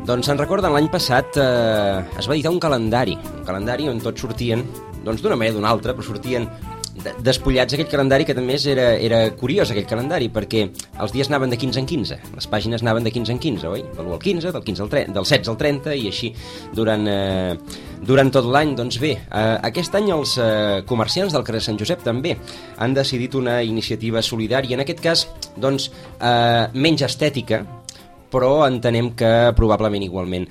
Doncs se'n recorden, l'any passat es va editar un calendari on tots sortien, doncs d'una manera o d'una altra, però sortien despullats. Aquell calendari que també era curiós, aquell calendari, perquè els dies anaven de 15 en 15, les pàgines anaven de 15 en 15, oi? De l'1 al 15, del 15 al 30, del 16 al 30, i així durant tot l'any. Doncs bé, aquest any els comerciants del carrer Sant Josep també han decidit una iniciativa solidària, en aquest cas, doncs, menys estètica, però entenem que probablement igualment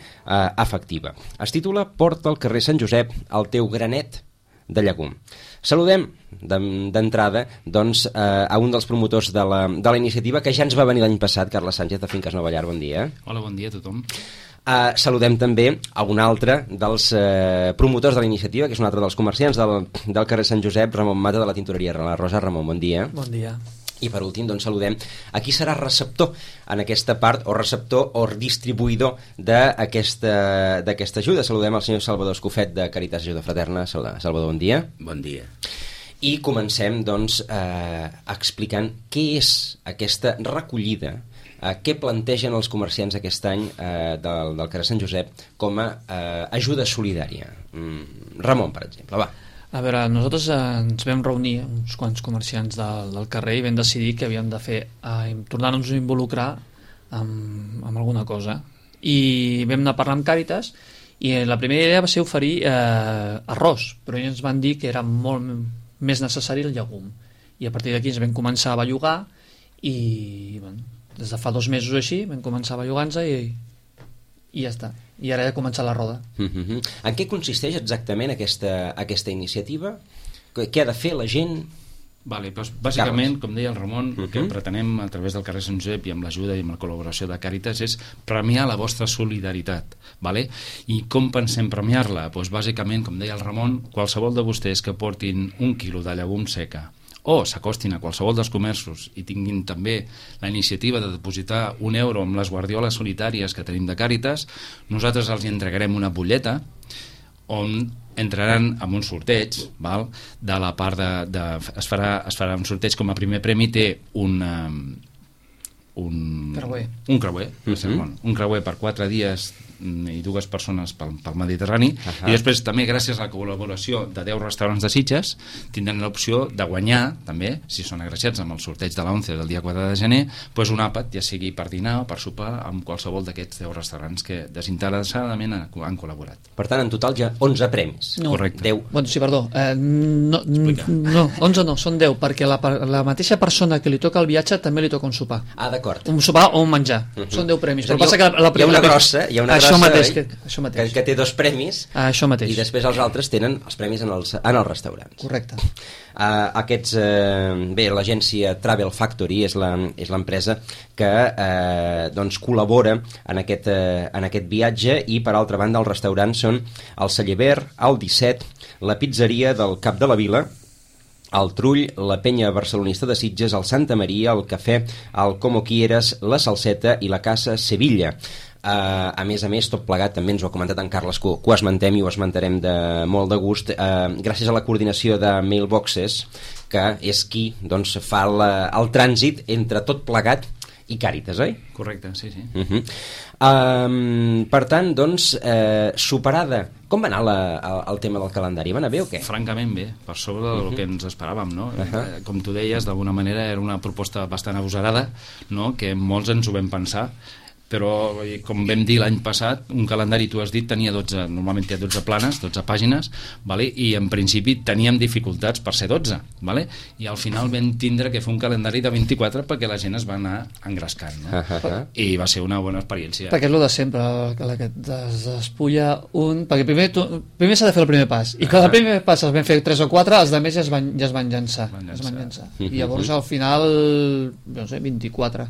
efectiva. Es titula Porta al carrer Sant Josep el teu granet de llegum. Saludem d'entrada doncs, a un dels promotors de la iniciativa, que ja ens va venir l'any passat, Carles Sánchez, de Finques Nova Llar. Bon dia. Hola, bon dia a tothom. Saludem també a un altre dels promotors de la iniciativa, que és un altre dels comerciants del carrer Sant Josep, Ramon Mata, de la tintoreria La Rosa. Ramon, bon dia. Bon dia. I per últim, doncs, saludem a qui serà receptor en aquesta part, o receptor o distribuïdor d'aquesta ajuda. Saludem al senyor Salvador Escofet, de Caritas Ajuda Fraterna. Salvador, bon dia. Bon dia. I comencem, doncs, explicant què és aquesta recollida, què plantegen els comerciants aquest any del carrer Sant Josep com a ajuda solidària. Ramon, per exemple, va. A veure, nosaltres ens vam reunir uns quants comerciants del carrer i vam decidir que havíem de tornar-nos a involucrar amb alguna cosa. I vam anar a parlar amb Càritas i la primera idea va ser oferir arròs, però ells ens van dir que era molt més necessari el llegum. I a partir d'aquí ens vam començar a bellugar i bueno, des de fa 2 mesos així vam començar a bellugar-nos i ja està. I ara ja ha començat la roda. En què consisteix exactament aquesta iniciativa? Què ha de fer la gent? Vale, doncs, bàsicament, Carles, com deia el Ramon, el que pretenem a través del carrer Sant Josep i amb l'ajuda i amb la col·laboració de Càritas és premiar la vostra solidaritat. Vale? I com pensem premiar-la? Doncs, bàsicament, com deia el Ramon, qualsevol de vostès que portin 1 quilo de llegum seca o s'acostin a qualsevol dels comerços i tinguin també la iniciativa de depositar 1 euro amb les guardioles solitàries que tenim de Càritas, nosaltres els entregarem una butlleta on entraran en un sorteig, val? De la part es farà un sorteig. Com a primer premi té un creuer. Un creuer per 4 dies i 2 persones pel Mediterrani. I després també, gràcies a la col·laboració de 10 restaurants de Sitges, tindran l'opció de guanyar també, si són agraciats amb el sorteig de l'11 del dia 4 de gener, doncs un àpat, ja sigui per dinar o per sopar, amb qualsevol d'aquests 10 restaurants que desinteressadament han col·laborat. Per tant, en total hi ha 11 premis. No. Correcte. 10. Bueno, sí, perdó. No, 11 no, són 10, perquè la mateixa persona que li toca el viatge també li toca un sopar. Ah, d'acord. Un sopar o un menjar. Són 10 premis. Però passa que hi ha una grossa, això mateix. Que té 2 premis, això mateix. i després els altres tenen els premis en els restaurants. Correcte. Bé, l'agència Travel Factory és l'empresa que doncs col·labora en aquest viatge, i per altra banda els restaurants són el Celleber, el 17, la pizzeria del Cap de la Vila, el Trull, la Penya Barcelonista de Sitges, el Santa Maria, el Cafè, el Como Quieras, la Salseta i la Casa Sevilla. A més, tot plegat, també ens ho ha comentat en Carles, que ho esmentem i ho esmentarem de molt de gust, gràcies a la coordinació de Mailboxes, que és qui doncs, fa el trànsit entre tot plegat i Càritas, oi? Correcte, sí. Per tant, doncs, superada, com va anar el tema del calendari? Va anar bé o què? Francament bé, per sobre del que ens esperàvem, no? Com tu deies, d'alguna manera era una proposta bastant agosarada, no? Que molts ens ho vam pensar, però com vam dir l'any passat, un calendari, tu has dit, normalment té 12 planes, 12 pàgines, vale? I en principi teníem dificultats per ser 12, vale? I al final vam tindre que fer un calendari de 24 perquè la gent es va anar engrescant, no? I va ser una bona experiència. Perquè és el de sempre, que es despulla un... Perquè primer s'ha de fer el primer pas, i quan el primer pas els vam fer 3 o 4, els altres ja es van llançar. I llavors al final, no sé, 24.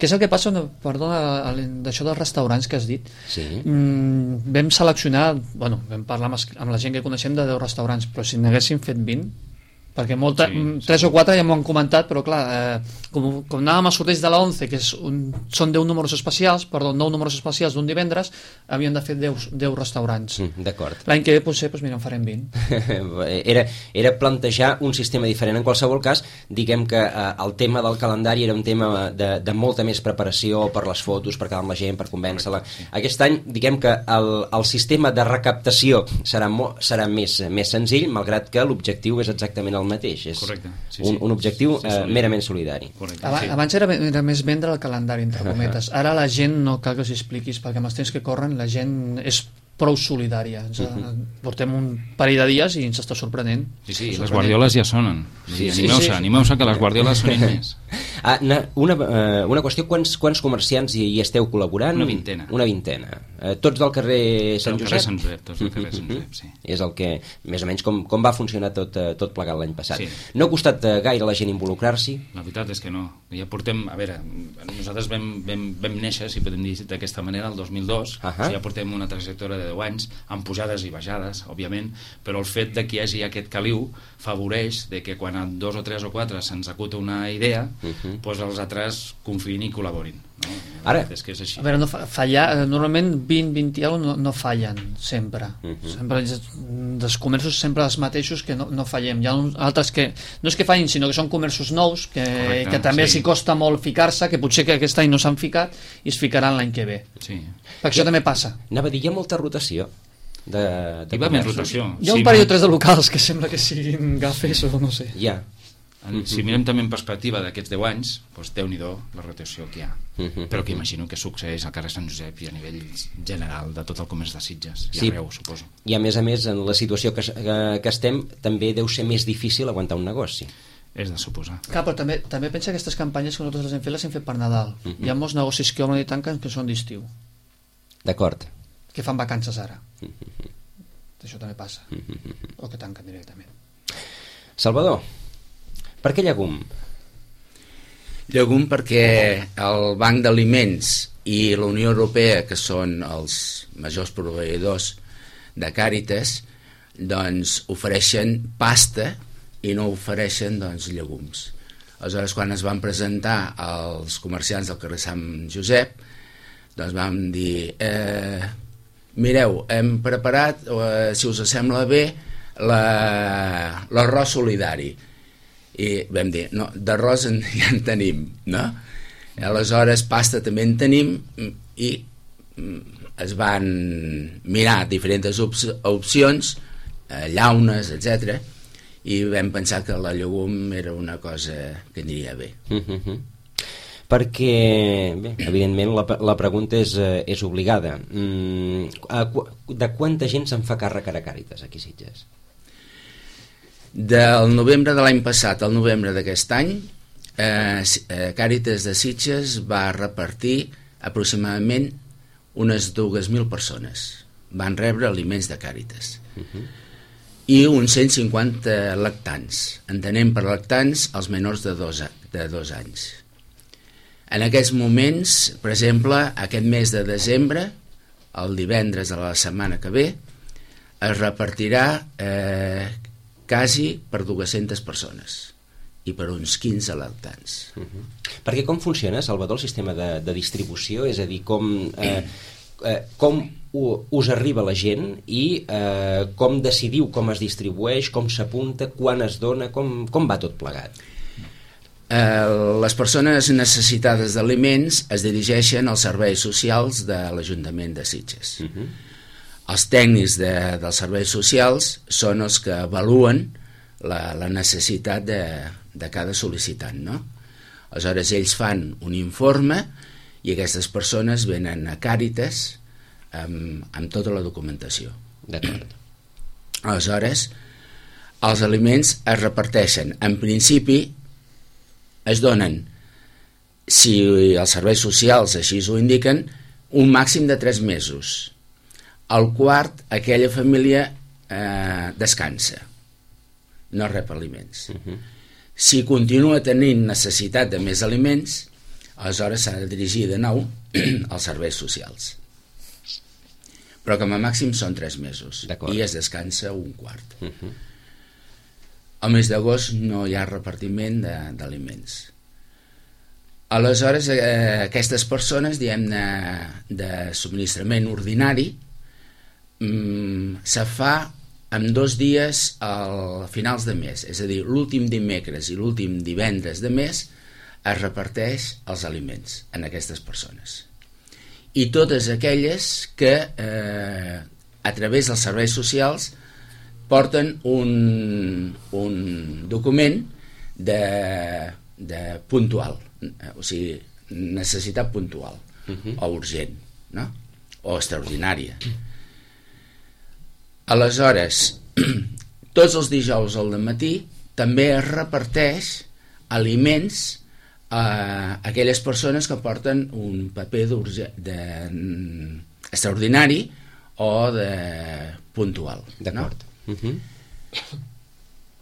Què és el que passa, perdona, d'això dels restaurants que has dit? Sí. Vam seleccionar, vam parlar amb la gent que coneixem de 10 restaurants, però si n'haguéssim fet 20, perquè 3 o 4 ja m'ho han comentat, però clar, com anàvem a sorteig de la 11, que són 10 números especials, perdó, 9 números especials d'un divendres, havíem de fer 10 restaurants. D'acord. L'any que ve potser mira, en farem 20. Era plantejar un sistema diferent. En qualsevol cas, diguem que el tema del calendari era un tema de molta més preparació per les fotos, per quedar amb la gent, per convèncer-la. Aquest any, diguem que el sistema de recaptació serà més senzill, malgrat que l'objectiu és exactament el mateix. És un objectiu merament solidari. Abans era més vendre el calendari, entre cometes. Ara la gent, no cal que us expliquis, perquè amb els temps que corren la gent és prou solidària. Portem un parell de dies i ens està sorprenent. Sí, les guardioles ja sonen. Animeu-se que les guardioles sonin més. Una qüestió, quants comerciants hi esteu col·laborant? Una vintena. Tots del carrer Sant Josep? Tots del carrer Sant Josep, sí. És el que, més o menys, com va funcionar tot plegat l'any passat. Sí. No ha costat gaire la gent involucrar-s'hi? La veritat és que no. Ja portem, a veure, nosaltres vam néixer, si podem dir d'aquesta manera, el 2002, ja portem una trajectòria de 10 anys, amb pujades i baixades, òbviament, però el fet de que hi hagi aquest caliu favoreix de que quan a 2 o 3 o 4 se'ns acuta una idea, doncs els altres confiïn i col·laborin. No? Ara, és que és així. A veure, normalment 20 no fallen sempre. Sempre dels comerços sempre els mateixos que no fallem. Hi ha altres que no és que fallin, sinó que són comerços nous que també els costa molt ficar-se, que potser que aquest any no s'han ficat i es ficaran l'any que ve. Sí. Perquè això també passa. Anava a dir, hi ha molta rotació de hi va més rotació. Hi ha un parell o 3 de locals que sembla que siguin gafes o no sé. Ja. Si mirem també en perspectiva d'aquests 10 anys, doncs Déu-n'hi-do la rotació que hi ha. Però que imagino que succeeix al carrer Sant Josep i a nivell general de tot el comerç de Sitges i arreu, suposo. I a més, en la situació que estem, també deu ser més difícil aguantar un negoci. És de suposar. Clar, però també pensa que aquestes campanyes que nosaltres les hem fet per Nadal. Hi ha molts negocis que obren i tanquen que són d'estiu. D'acord. Que fan vacances ara. Això també passa. O que tanquen directament. Salvador, per què llegum? Llegum perquè el Banc d'Aliments i la Unió Europea, que són els majors proveïdors de Càritas, doncs ofereixen pasta i no ofereixen llegums. Aleshores, quan es van presentar als comerciants del carrer Sant Josep, doncs vam dir mireu, hem preparat, si us sembla bé, l'arròs solidari. I vam dir, no, d'arròs ja en tenim, no? Aleshores, pasta també en tenim i es van mirar diferents opcions, llaunes, etc. I vam pensar que la llegum era una cosa que aniria bé. Perquè, bé, evidentment la pregunta és obligada. De quanta gent se'n fa càrrec a Càritas aquí a Sitges? Del novembre de l'any passat al novembre d'aquest any, Càritas de Sitges va repartir aproximadament unes 2.000 persones. Van rebre aliments de Càritas. I uns 150 lactants. Entenem per lactants els menors de 2 anys. En aquests moments, per exemple, aquest mes de desembre, el divendres de la setmana que ve, es repartirà quasi per 200 persones i per uns 15 lactants. Perquè com funciona, Salvador, el sistema de distribució? És a dir, com us arriba la gent i com decidiu com es distribueix, com s'apunta, quan es dona, com va tot plegat? Les persones necessitades d'aliments es dirigeixen als serveis socials de l'Ajuntament de Sitges. Els tècnics dels serveis socials són els que avaluen la necessitat de cada sol·licitant, no? Aleshores, ells fan un informe i aquestes persones venen a Càritas amb tota la documentació. D'acord. Aleshores, els aliments es reparteixen. En principi, es donen, si els serveis socials així ho indiquen, un màxim de 3 mesos. Al quart, aquella família descansa, no rep aliments. Si continua tenint necessitat de més aliments, aleshores s'ha de dirigir de nou als serveis socials. Però com a màxim són 3 mesos i es descansa un quart. Al mes d'agost no hi ha repartiment d'aliments. Aleshores, aquestes persones, diguem-ne, de subministrament ordinari, se fa en 2 dies a finals de mes, és a dir, l'últim dimecres i l'últim divendres de mes es reparteix els aliments en aquestes persones. I totes aquelles que a través dels serveis socials porten un document de puntual, o sigui, necessitat puntual, o urgent, no? O extraordinària. Aleshores, tots els dijous al matí també es reparteix aliments a aquelles persones que porten un paper extraordinari o de puntual. D'acord. No?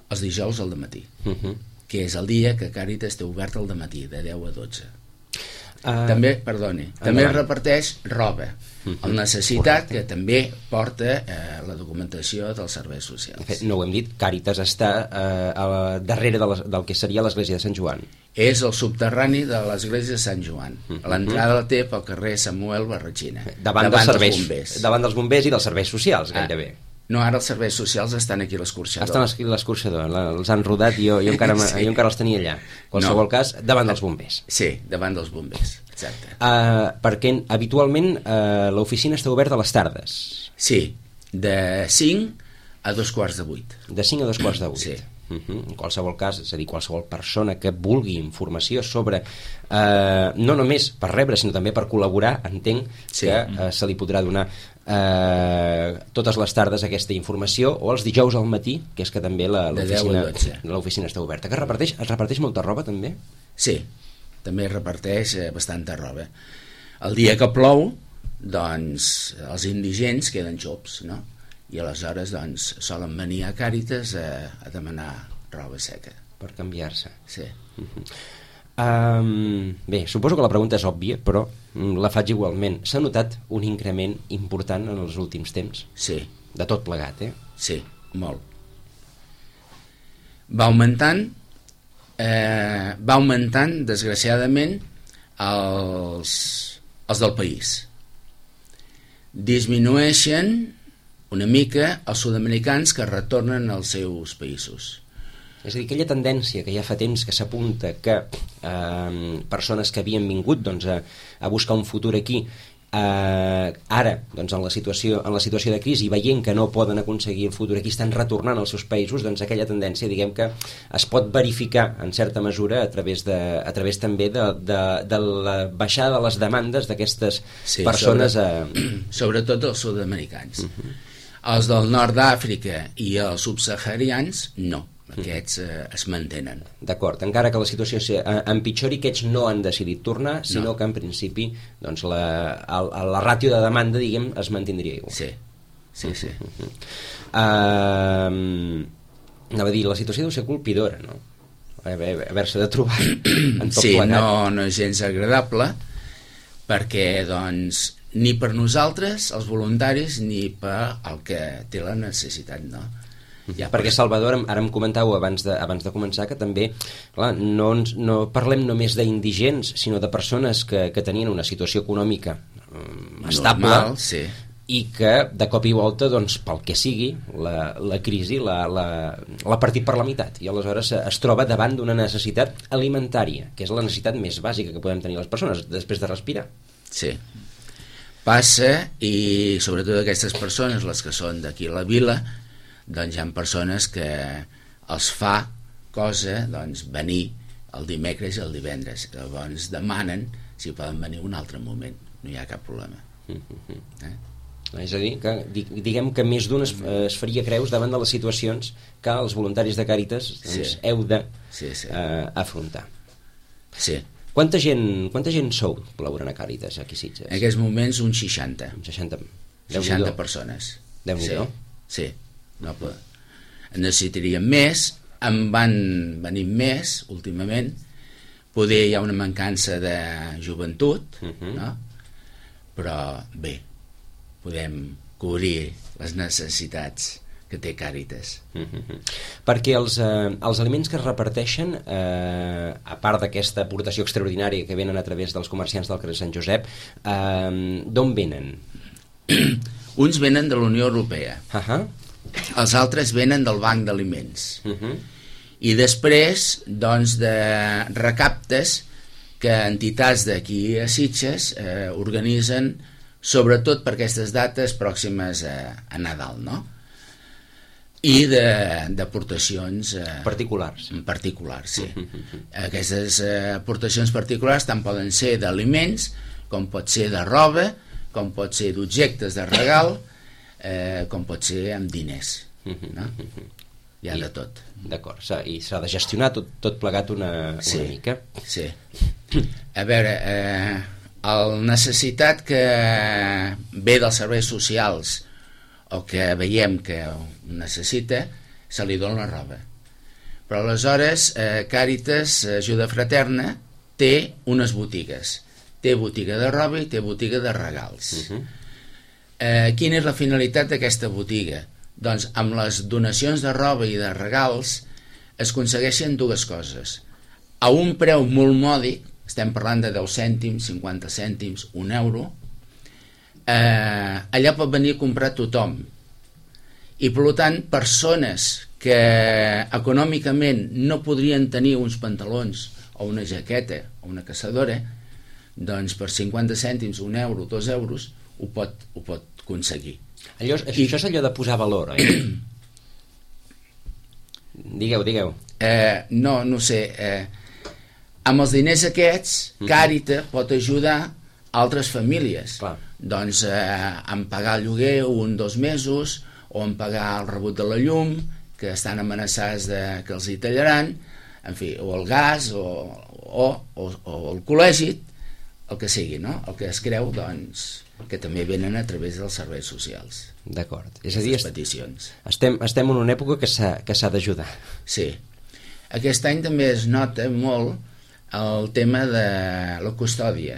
Els dijous al matí, que és el dia que Càritas té obert al matí, de 10 a 12. També es reparteix roba, el necessitat, que també porta la documentació dels serveis socials. De fet, no ho hem dit, Càritas està darrere del que seria l'església de Sant Joan. És el subterrani de l'església de Sant Joan. L'entrada la té pel carrer Samuel Barratxina, davant dels bombers. Davant dels bombers i dels serveis socials, gairebé. No, ara els serveis socials estan aquí a l'Escorxador. Estan aquí a l'Escorxador, els han rodat i jo encara els tenia allà. En qualsevol cas, davant dels bombers. Sí, davant dels bombers, exacte. Perquè habitualment l'oficina està oberta a les tardes. Sí, de 5 a 7:15. De 5 a 7:15. Sí. En qualsevol cas, és a dir, qualsevol persona que vulgui informació sobre, no només per rebre, sinó també per col·laborar, entenc que se li podrà donar totes les tardes aquesta informació, o els dijous al matí, que és que també l'oficina està oberta. Que es reparteix molta roba també? Sí, també es reparteix bastanta roba. El dia que plou, doncs els indigents queden xops, no? I aleshores doncs solen venir a Càritas a demanar roba seca per canviar-se. Sí. Bé, suposo que la pregunta és òbvia, però la faig igualment. S'ha notat un increment important en els últims temps? Sí. De tot plegat, Sí, molt. Va augmentant desgraciadament els del país. Disminueixen una mica els sud-americans que retornen als seus països. És a dir, aquella tendència que ja fa temps que s'apunta que persones que havien vingut a buscar un futur aquí, ara, doncs, en la situació de crisi, veient que no poden aconseguir el futur aquí, estan retornant als seus països, doncs aquella tendència, diguem que es pot verificar en certa mesura a través també de la baixada de les demandes d'aquestes persones. Sobretot els sud-americans. Els del nord d'Àfrica i els subsaharians, no. Aquests es mantenen. D'acord, encara que la situació empitjori, aquests no han decidit tornar, sinó que en principi doncs, la ràtio de demanda, diguem, es mantindria igual. Sí. Anava a dir, la situació deu ser colpidora, no? Haver-se de trobar en tot plegat. No és gens agradable, perquè doncs ni per nosaltres, els voluntaris, ni per el que té la necessitat, no? Perquè Salvador, ara em comentàveu abans de començar que també, clar, no parlem només d'indigents, sinó de persones que tenien una situació econòmica estable. Normal, sí. I que de cop i volta, doncs, pel que sigui, la crisi l'ha partit per la meitat, i aleshores es troba davant d'una necessitat alimentària, que és la necessitat més bàsica que podem tenir les persones després de respirar. Sí. Passa, i sobretot aquestes persones, les que són d'aquí a la vila, doncs hi ha persones que els fa cosa venir el dimecres i el divendres. Llavors demanen si poden venir un altre moment. No hi ha cap problema. És a dir, que diguem que més d'un es faria creus davant de les situacions que els voluntaris de Càritas heu d'afrontar. Sí. Quanta gent sou col·laborant a Càritas aquí a Sitges? En aquests moments uns 60. 60 persones. Déu-n'hi-do. Sí. Noble. En necessitaríem més, en van venir més últimament, poder hi ha una mancança de joventut, no? Però bé, podem cobrir les necessitats que té Càritas. Perquè els aliments que es reparteixen, a part d'aquesta aportació extraordinària que venen a través dels comerciants del carrer Sant Josep, d'on venen? Uns venen de la Unió Europea, els altres venen del Banc d'Aliments, i després doncs de recaptes que entitats d'aquí a Sitges organitzen, sobretot per aquestes dates pròximes a Nadal, no? I d'aportacions particulars, sí. Aquestes aportacions particulars tant poden ser d'aliments, com pot ser de roba, com pot ser d'objectes de regal, com pot ser amb diners, no? Hi ha de tot. D'acord, i s'ha de gestionar tot plegat una mica. Sí. A veure, la necessitat que ve dels serveis socials o que veiem que ho necessita, se li dona la roba. Però aleshores Càritas Ajuda Fraterna té unes botigues. Té botiga de roba i té botiga de regals. Quina és la finalitat d'aquesta botiga? Doncs amb les donacions de roba i de regals es aconsegueixen dues coses. A un preu molt mòdic, estem parlant de 10 cèntims, 50 cèntims, 1 euro, allà pot venir a comprar tothom. I per tant, persones que econòmicament no podrien tenir uns pantalons o una jaqueta o una caçadora, doncs per 50 cèntims, 1 euro, 2 euros, ho pot aconseguir. Això és allò de posar valor, oi? Digueu. No sé. Amb els diners aquests, Càritas pot ajudar altres famílies. Clar. Doncs en pagar el lloguer 1 o 2 mesos, o en pagar el rebut de la llum, que estan amenaçats que els hi tallaran, en fi, o el gas, o el col·legi, el que sigui, no? El que es creu, doncs, que també venen a través dels serveis socials. D'acord. És a dir, peticions. Estem en una època que s'ha d'ajudar. Sí. Aquest any també es nota molt el tema de la custòdia.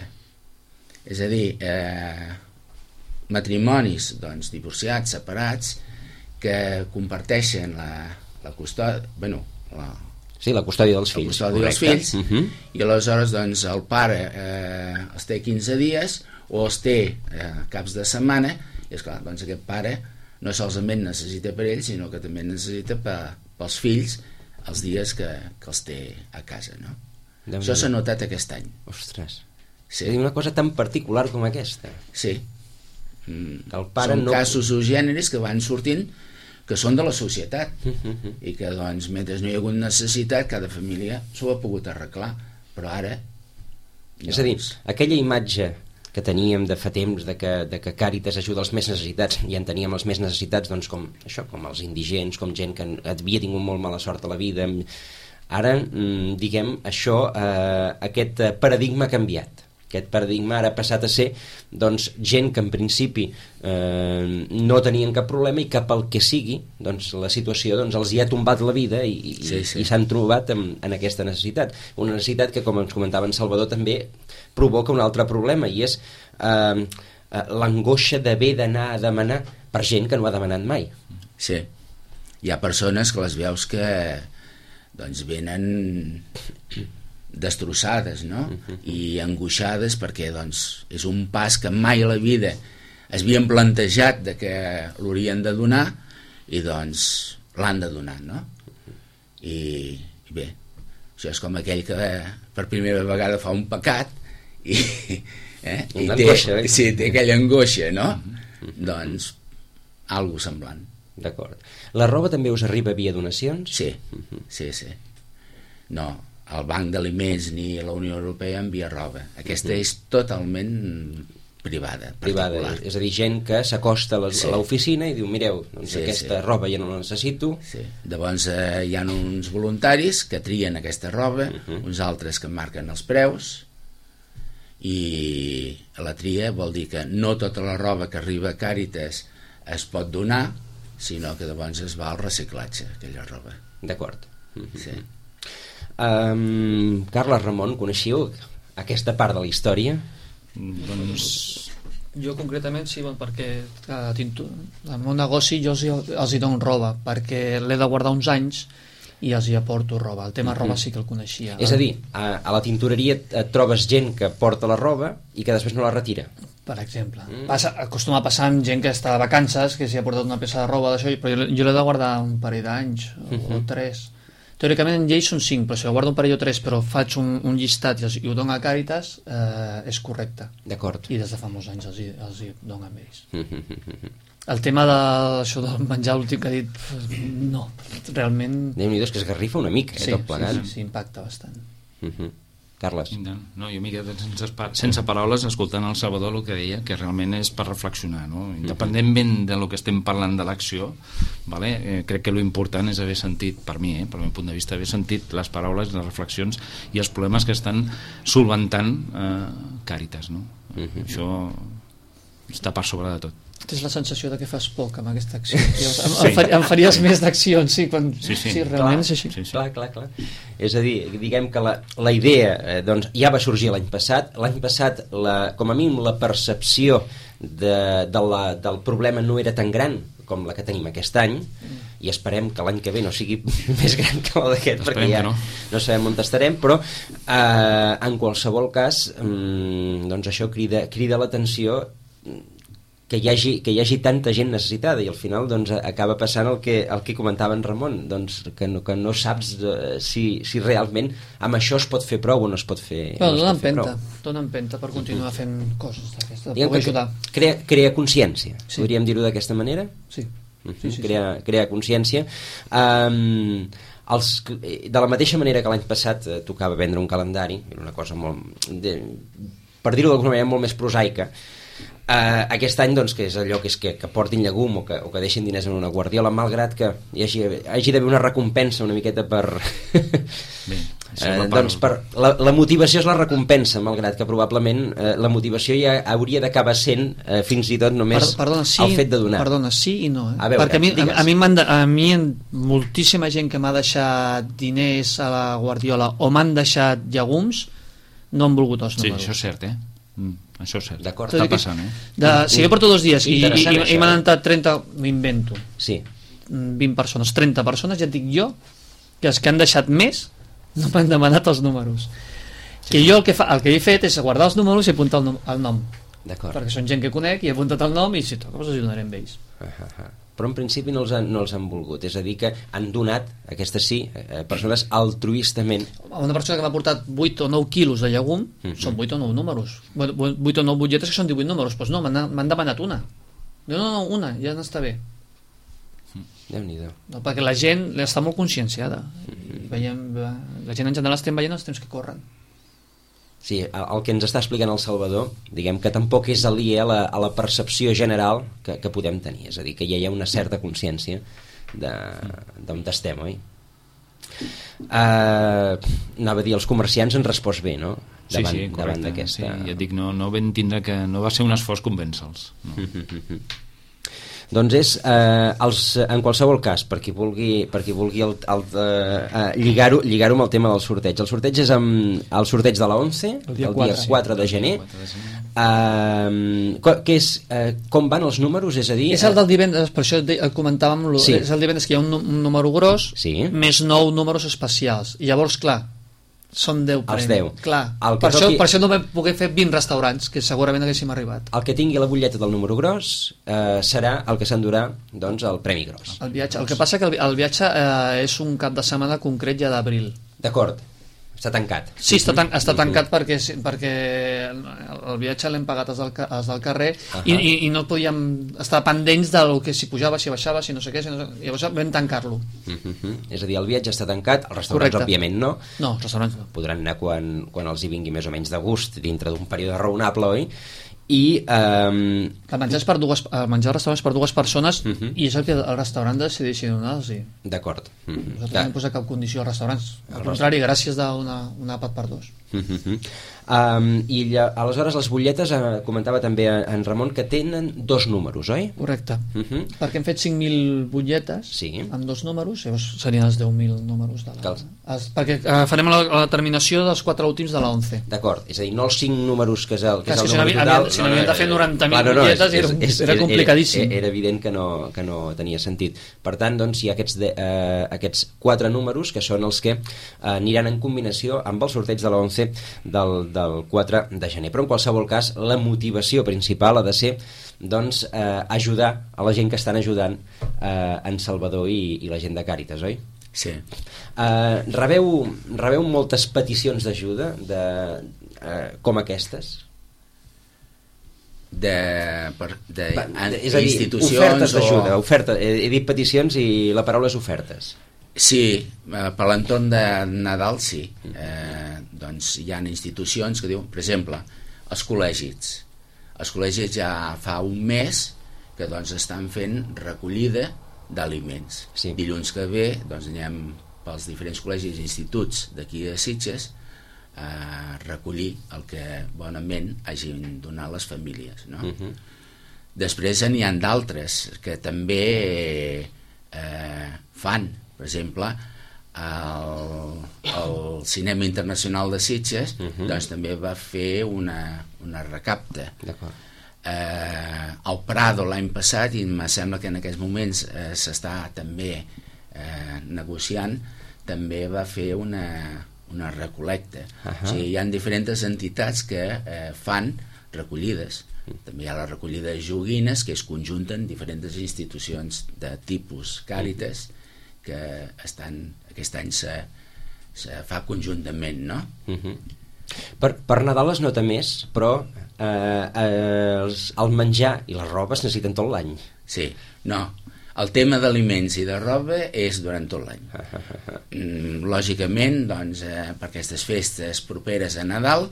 És a dir, matrimonis, doncs, divorciats, separats, que comparteixen la custòdia, sí, la custòdia dels fills. La custòdia dels fills, i aleshores doncs, el pare els té 15 dies o els té caps de setmana, i esclar, doncs aquest pare no solament necessita per ell, sinó que també necessita pels fills els dies que els té a casa, no? Això s'ha notat aquest any. Ostres, sí. És una cosa tan particular com aquesta. Sí. Són casos o gèneres que van sortint que són de la societat i que doncs mentre no hi ha hagut necessitat cada família s'ho ha pogut arreglar, però ara és a dir, aquella imatge que teníem de fa temps de que Càritas ajuda els més necessitats, i en teníem els més necessitats doncs com els indigents, com gent que havia tingut molt mala sort a la vida, ara diguem això, aquest paradigma ha canviat. Aquest paradigma ara ha passat a ser doncs, gent que en principi no tenien cap problema i que pel que sigui doncs, la situació doncs, els hi ha tombat la vida i s'han trobat en aquesta necessitat. Una necessitat que, com ens comentava en Salvador, també provoca un altre problema, i és l'angoixa d'haver d'anar a demanar per gent que no ha demanat mai. Sí, hi ha persones que les veus que doncs, venen destrossades, no? I angoixades perquè doncs, és un pas que mai a la vida es havien plantejat de que l'haurien de donar i doncs l'han de donar, no? I bé, això és com aquell que per primera vegada fa un pecat i té aquella angoixa, no? Doncs algo semblant. D'acord. La roba també us arriba via donacions? Sí. No, el Banc d'Aliments ni la Unió Europea envia roba. Aquesta és totalment privada, particular. És a dir, gent que s'acosta a l'oficina i diu, mireu, doncs aquesta roba ja no la necessito. Sí. Llavors hi ha uns voluntaris que trien aquesta roba, uns altres que marquen els preus, i la tria vol dir que no tota la roba que arriba a Càritas es pot donar, sinó que llavors es va al reciclatge, aquella roba. D'acord. Sí. Carles, Ramon, coneixíeu aquesta part de la història? Doncs Jo concretament sí, perquè el meu negoci jo els hi dono roba, perquè l'he de guardar uns anys i els hi aporto roba. El tema roba sí que el coneixia. És a dir, a la tintoreria et trobes gent que porta la roba i que després no la retira. Per exemple. Acostuma a passar amb gent que està de vacances, que s'hi ha portat una peça de roba d'això, però jo l'he de guardar un parell d'anys o 3. Teòricament en llei són 5, però si ho guardo un parell o 3 però faig un llistat i ho dono a Càritas, és correcte. D'acord. I des de fa molts anys els hi dono amb ells. El tema d'això del menjar últim que ha dit, no, realment... Déu-n'hi-do, és que esgarrifa una mica, tot plegat. Sí, impacta bastant. Carles. No, jo m'he quedat sense paraules escoltant el Salvador el que deia, que realment és per reflexionar, no? Independentment de lo que estem parlant de l'acció, vale? Crec que l'important és haver sentit, per mi, per meu punt de vista, haver sentit les paraules, les reflexions i els problemes que estan solventant Càritas, no? Això està per sobre de tot. Tens la sensació de que fas poc amb aquesta acció. Em faries més d'accions, sí, realment és així. Clar. És a dir, diguem que la idea doncs, ja va sorgir l'any passat. L'any passat, com a mínim, la percepció del problema no era tan gran com la que tenim aquest any, i esperem que l'any que ve no sigui més gran que la d'aquest, perquè ja no sabem on estarem, però en qualsevol cas doncs això crida l'atenció que hi hagi tanta gent necessitada, i al final doncs, acaba passant el que comentava en Ramon, doncs, que no saps si realment amb això es pot fer prou o no es pot fer, donen penta per continuar fent coses d'aquestes, de poder ajudar. Crea consciència, podríem dir-ho d'aquesta manera? Sí. Crear consciència. De la mateixa manera que l'any passat tocava vendre un calendari, era una cosa molt, per dir-ho d'alguna manera, molt més prosaica. Aquest any doncs, que és allò que portin llegum o que deixin diners en una guardiola, malgrat que hi hagi d'haver una recompensa una miqueta per... doncs la motivació és la recompensa, malgrat que probablement la motivació ja hauria d'acabar sent fins i tot només el fet de donar. Perdona, sí i no. Veure, perquè a mi moltíssima gent que m'ha deixat diners a la guardiola o m'han deixat llegums no han volgut els números. Sí, això és cert, això és cert. D'acord, està passant, si jo porto 2 dies i m'han entrat 30, m'invento, 20 persones, 30 persones, ja et dic jo que els que han deixat més no m'han demanat els números. Que jo el que he fet és guardar els números i apuntar el nom. Perquè són gent que conec i he apuntat el nom i si toca els ajudaré amb ells. Però en principi no els han volgut, és a dir que han donat, aquestes persones altruistament. Una persona que m'ha portat 8 o 9 quilos de llegum són 8 o 9 números, 8 o 9 butlletes que són 18 números, doncs no, m'han demanat una. No, una, ja n'està bé. Déu-n'hi-do. No, perquè la gent està molt conscienciada. La gent en general estem veient els temps que corren. Sí, el que ens està explicant el Salvador, diguem que tampoc és aliè a la percepció general que podem tenir, és a dir, que ja hi ha una certa consciència d'on estem, oi? Anava a dir, els comerciants han respost bé, no? Davant d'aquesta... Sí, ja et dic, no vam tindre que... No va ser un esforç convèncer-los. No. Doncs és, en qualsevol cas, per qui vulgui lligar-ho amb el tema del sorteig. El sorteig és el sorteig de la 11, el dia 4 de gener. Com van els números? És a dir... És el del divendres, per això comentàvem, és el divendres que hi ha un número gros, més 9 números especials. I llavors, clar, són 10 premis. Els 10. Clar. Per això no vam poder fer 20 restaurants, que segurament haguéssim arribat. El que tingui la butlleta del número gros serà el que s'endurà, doncs, el premi gros. El que passa que el viatge és un cap de setmana concret ja d'abril. D'acord. Està tancat. Sí, està tancat perquè el viatge l'hem pagat els del carrer i no podíem estar pendents del que si pujava, si baixava, si no sé què, llavors vam tancar-lo. És a dir, el viatge està tancat, els restaurants òbviament no. No, els restaurants no. Podran anar quan els hi vingui més o menys de gust dintre d'un període raonable, oi? I el menjar al restaurant és per 2 persones i és el que el restaurant decideixi donar-los. D'acord. Nosaltres no hem posat cap condició als restaurants, al contrari, gràcies d'un àpat per 2. Aleshores les butlletes, comentava també en Ramon, que tenen 2 números, oi? Correcte, perquè hem fet 5.000 butlletes amb 2 números, llavors serien els 10.000 números de la... perquè farem la terminació dels 4 últims de la 11. D'acord, és a dir, no els 5 números que és el número total. Si n'havíem de fer 90.000 butlletes era complicadíssim. Era evident que no tenia sentit. Per tant, doncs, hi ha aquests 4 números que són els que aniran en combinació amb el sorteig de la 11 del 4 de gener. Però en qualsevol cas, la motivació principal ha de ser doncs, ajudar a la gent que estan ajudant en Salvador i la gent de Càritas, oi? Sí. Rebeu moltes peticions d'ajuda com aquestes? És a dir, ofertes d'ajuda, he dit peticions i la paraula és ofertes. Sí, per l'entorn de Nadal sí. Doncs hi ha institucions que diuen, per exemple, els col·legis. Els col·legis ja fa un mes que doncs, estan fent recollida d'aliments. Sí. Dilluns que ve doncs, anem pels diferents col·legis i instituts d'aquí de Sitges a recollir el que bonament hagin donat les famílies, no? Després n'hi ha d'altres que també fan, per exemple el Cinema Internacional de Sitges doncs també va fer una recapta. El Prado l'any passat, i em sembla que en aquests moments s'està també negociant, també va fer una recolecta. O sigui, hi ha diferents entitats que fan recollides. També hi ha la recollida de joguines, que es conjunten diferents institucions de tipus Càritas, que aquest any se fa conjuntament, no? Per Nadal es nota més, però el menjar i la roba es necessiten tot l'any. Sí, no, el tema d'aliments i de roba és durant tot l'any. Lògicament, doncs, per aquestes festes properes a Nadal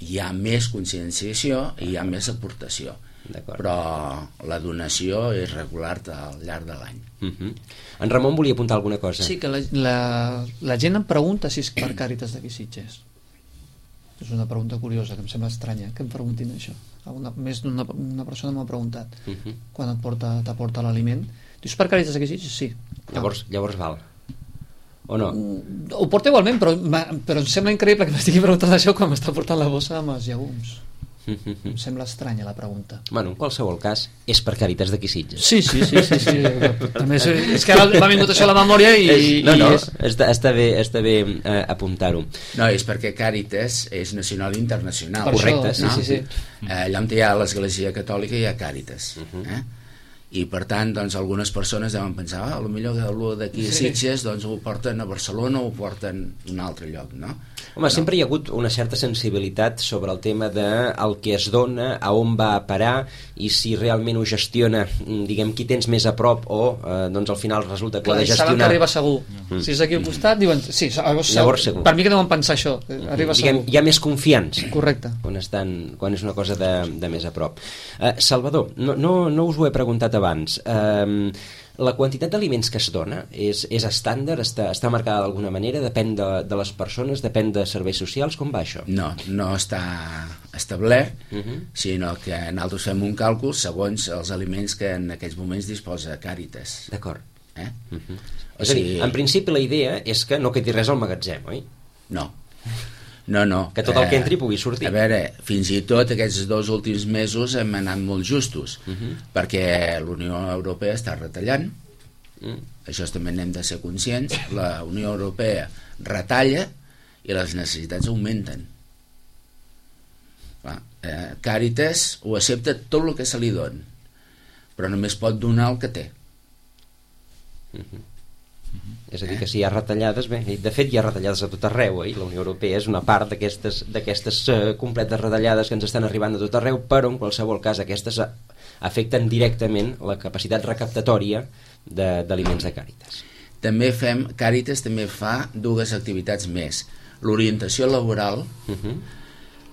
hi ha més conscienciació i hi ha més aportació, però la donació és regular al llarg de l'any. En Ramon volia apuntar alguna cosa. Sí, que la gent em pregunta si és per Càritas d'aquí Sitges. És una pregunta curiosa, que em sembla estranya que em preguntin això. Més d'una persona m'ha preguntat quan t'aporta l'aliment. Dius per Càritas d'aquí Sitges? Sí. Llavors val. O no? Ho porta igualment, però em sembla increïble que m'estigui preguntant això quan m'està portant la bossa amb els llegums. Em sembla estranya la pregunta. Bueno, en qualsevol cas, és per Càritas d'aquí Sitges. Sí. També és que ara m'ha vingut això a la memòria i... Està bé apuntar-ho. No, és perquè Càritas és nacional i internacional. Correcte, sí. Allà on hi ha l'Església Catòlica hi ha Càritas. I per tant, doncs, algunes persones deuen pensar potser que el d'aquí a Sitges doncs, ho porten a Barcelona o ho porten a un altre lloc, no? Home, sempre hi ha hagut una certa sensibilitat sobre el tema del que es dona, a on va a parar i si realment ho gestiona, diguem, qui tens més a prop o doncs al final resulta que ho ha de gestionar. Saben que arriba segur. Si és aquí al costat, diuen sí, llavors segur. Per mi que deuen pensar això, arriba segur. Hi ha més confiança. Correcte. Quan és una cosa de més a prop. Salvador, no us ho he preguntat abans. La quantitat d'aliments que es dona és estàndard, està marcada d'alguna manera, depèn de les persones, depèn de serveis socials, com va això? No està establert, sinó que nosaltres fem un càlcul segons els aliments que en aquests moments disposa Càritas. D'acord. És a dir, en principi la idea és que no quedi res al magatzem, oi? No. Que tot el que entri pugui sortir. A veure, fins i tot aquests 2 últims mesos hem anat molt justos, perquè l'Unió Europea està retallant, això també n'hem de ser conscients, la Unió Europea retalla i les necessitats augmenten. Càritas ho accepta tot el que se li dona, però només pot donar el que té. És a dir, que si hi ha retallades, bé, de fet hi ha retallades a tot arreu, la Unió Europea és una part d'aquestes completes retallades que ens estan arribant a tot arreu, però en qualsevol cas aquestes afecten directament la capacitat recaptatòria d'aliments de Càritas. Càritas també fa 2 activitats més. L'orientació laboral,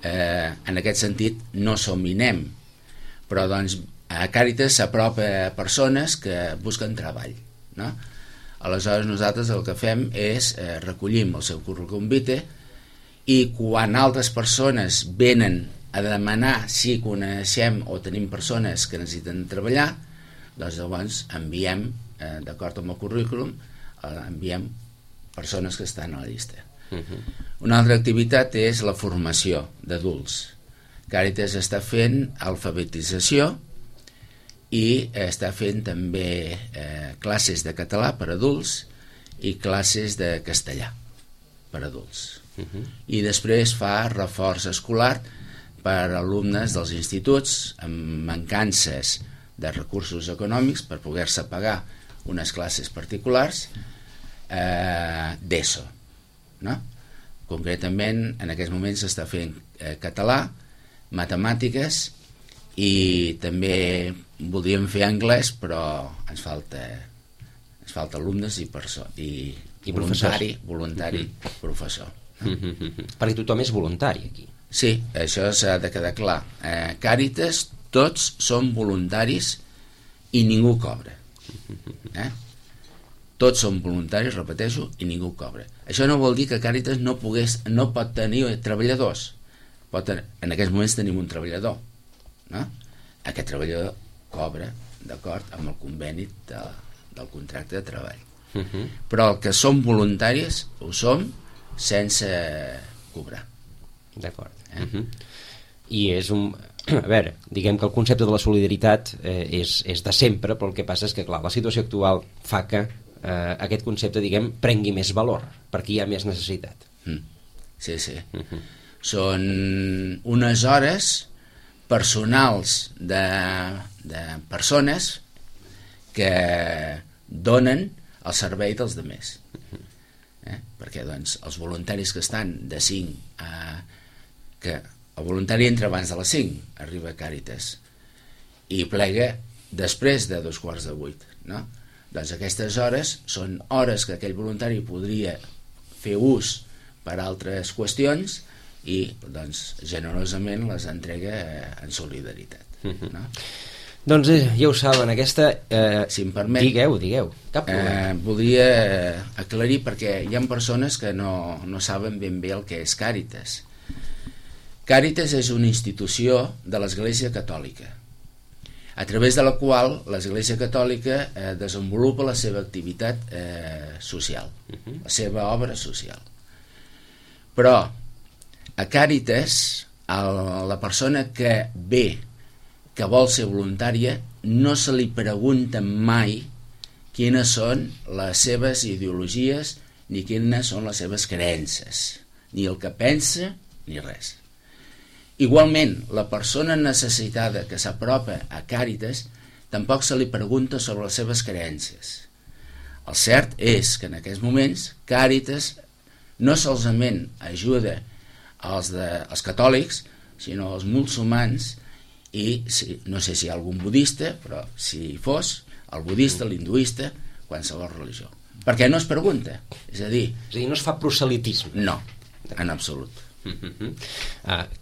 en aquest sentit no som INEM, però doncs a Càritas s'apropa a persones que busquen treball, no? Aleshores nosaltres el que fem és recollim el seu currículum vitae i quan altres persones venen a demanar si coneixem o tenim persones que necessiten treballar, doncs llavors enviem, d'acord amb el currículum, enviem persones que estan a la llista. Una altra activitat és la formació d'adults. Càritas està fent alfabetització i està fent també classes de català per adults i classes de castellà per adults. I després fa reforç escolar per alumnes dels instituts amb mancances de recursos econòmics per poder-se pagar unes classes particulars d'ESO, no? Concretament en aquests moments s'està fent català, matemàtiques i també voldríem fer anglès, però ens falta alumnes i voluntari professor, no? Perquè tothom és voluntari aquí. Sí, això s'ha de quedar clar. Càritas, tots som voluntaris i ningú cobra. Tots som voluntaris, repeteixo, i ningú cobra. Això no vol dir que Càritas no pot tenir treballadors. En aquests moments tenim un treballador, no? Aquest treballador cobra d'acord amb el conveni del contracte de treball. Però el que som voluntaris ho som sense cobrar. D'acord. I és un... A veure, diguem que el concepte de la solidaritat és de sempre, però el que passa és que, clar, la situació actual fa que aquest concepte, diguem, prengui més valor, perquè hi ha més necessitat. Sí. Són unes hores personals de persones que donen el servei dels demés. Perquè, doncs, els voluntaris que estan de 5 que el voluntari entra abans de les 5, arriba a Càritas, i plega després de 7:15, no? Doncs aquestes hores són hores que aquell voluntari podria fer ús per altres qüestions i, doncs, generosament les entrega en solidaritat, no? Doncs ja ho saben, aquesta... si em permet... Digueu, cap problema. Voldria aclarir perquè hi ha persones que no saben ben bé el que és Càritas. Càritas és una institució de l'Església Catòlica, a través de la qual l'Església Catòlica desenvolupa la seva activitat social, la seva obra social. Però a Càritas, la persona que ve, que vol ser voluntària, no se li pregunta mai quines són les seves ideologies ni quines són les seves creences, ni el que pensa ni res. Igualment, la persona necessitada que s'apropa a Càritas tampoc se li pregunta sobre les seves creences. El cert és que en aquests moments Càritas no solament ajuda als catòlics, sinó als musulmans i no sé si hi ha algun budista, però si hi fos, el budista, l'hinduista, qualsevol religió. Perquè no es pregunta, és a dir, no es fa proselitisme. No, en absolut.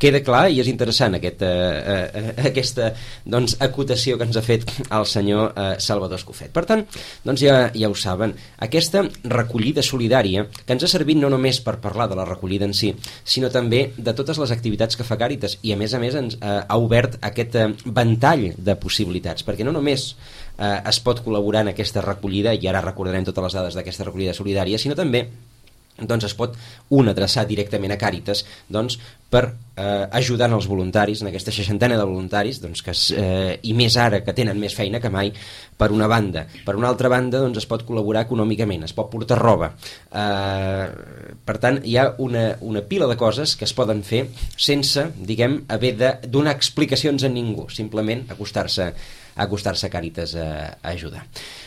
Queda clar i és interessant aquesta doncs, acotació que ens ha fet el senyor Salvador Escofet. Per tant, doncs ja ho saben, aquesta recollida solidària que ens ha servit no només per parlar de la recollida en si, sinó també de totes les activitats que fa Càritas, i a més ens ha obert aquest ventall de possibilitats, perquè no només es pot col·laborar en aquesta recollida, i ara recordarem totes les dades d'aquesta recollida solidària, sinó també doncs es pot adreçar directament a Càritas doncs, per ajudar els voluntaris, en aquesta 60ena de voluntaris doncs, i més ara que tenen més feina que mai, per una banda. Per una altra banda doncs, es pot col·laborar econòmicament, es pot portar roba, per tant hi ha una pila de coses que es poden fer sense, diguem, haver de donar explicacions a ningú, simplement acostar-se a Càritas a ajudar.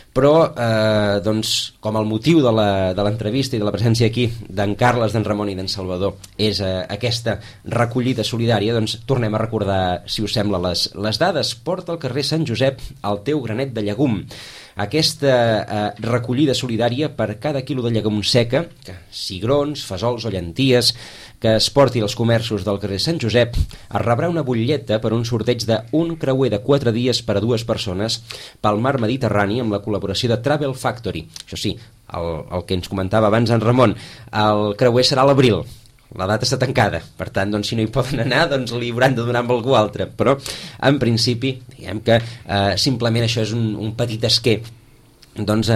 Però, doncs, com el motiu de l'entrevista i de la presència aquí d'en Carles, d'en Ramon i d'en Salvador és aquesta recollida solidària, doncs tornem a recordar, si us sembla, les dades. Porta al carrer Sant Josep el teu granet de llegum. Aquesta recollida solidària per cada quilo de llegum seca, cigrons, fesols o llenties, que es porti als comerços del carrer Sant Josep, es rebrà una butlleta per un sorteig d'un creuer de 4 dies per a 2 persones pel mar Mediterrani amb la col·laboració de Travel Factory. Això sí, el que ens comentava abans en Ramon, el creuer serà a l'abril, la data està tancada, per tant, doncs, si no hi poden anar, doncs li hauran de donar amb algú altre, però en principi, diguem que simplement això és un petit esquer, doncs,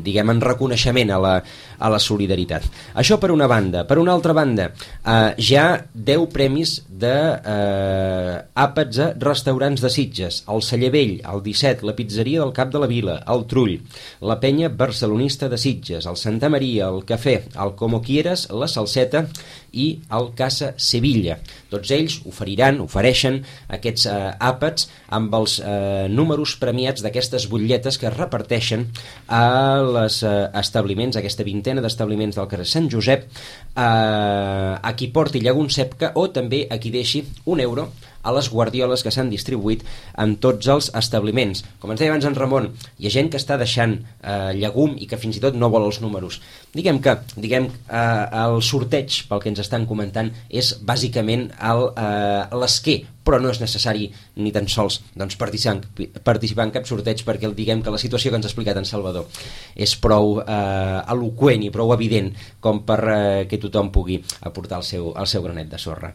diguem, en reconeixement a la solidaritat. Això per una banda. Per una altra banda, ja 10 premis d'àpats a restaurants de Sitges: el Celler Vell, el 17, la Pizzeria del Cap de la Vila, el Trull, la Penya Barcelonista de Sitges, el Santa Maria, el Cafè, el Como Quieras, la Salseta i el Casa Sevilla. Tots ells ofereixen aquests àpats amb els números premiats d'aquestes butlletes que es reparteixen a les establiments, aquesta vintena d'establiments del carrer Sant Josep, a qui porti llegum sepca o també a qui deixi €1 a les guardioles que s'han distribuït en tots els establiments. Com ens deia abans en Ramon, hi ha gent que està deixant llegum i que fins i tot no vol els números. Diguem que el sorteig, pel que ens estan comentant, és bàsicament l'esquer, però no és necessari ni tan sols doncs, participar en cap sorteig, perquè diguem que la situació que ens ha explicat en Salvador és prou eloqüent i prou evident com per que tothom pugui aportar el seu granet de sorra.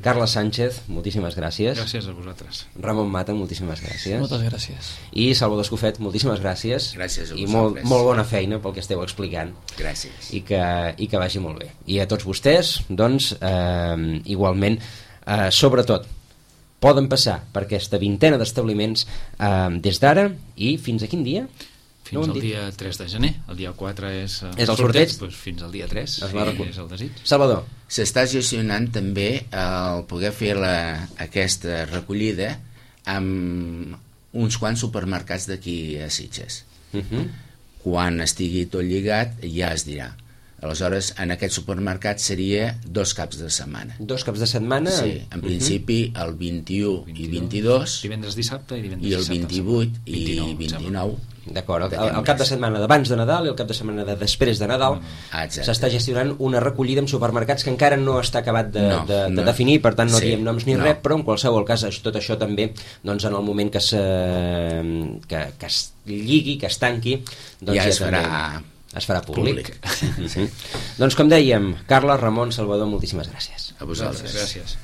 Carles Sánchez, moltíssimes gràcies. Gràcies a vosaltres. Ramon Mata, moltíssimes gràcies. Moltes gràcies. I Salvador Escofet, moltíssimes gràcies. Gràcies a I vosaltres. molt bona feina pel que esteu explicant. Gràcies. I que vagi molt bé. I a tots vostès, doncs, igualment, sobretot, poden passar per aquesta vintena d'establiments des d'ara i fins a quin dia? Fins al dia 3 de gener. El dia 4 és el sorteig? Doncs fins al dia 3 Es va recollir. és el desig. Salvador. S'està gestionant també el poder fer aquesta recollida amb uns quants supermercats d'aquí a Sitges. Quan estigui tot lligat ja es dirà. Aleshores, en aquest supermercat seria 2 caps de setmana. 2 caps de setmana? Sí, en principi el 21 i 22, Divendres, dissabte i divendres, i el dissabte, 28 i 29. 29. D'acord, el cap de setmana d'abans de Nadal i el cap de setmana de després de Nadal Exacte. s'està gestionant una recollida en supermercats que encara no està acabat de No. definir, per tant no Sí, diem noms ni no. res, però en qualsevol cas tot això també, doncs, en el moment que es lligui, que es tanqui, doncs Ja es també farà es farà públic. públic. Doncs com dèiem, Carles, Ramon, Salvador, moltíssimes gràcies. A vosaltres. Gràcies.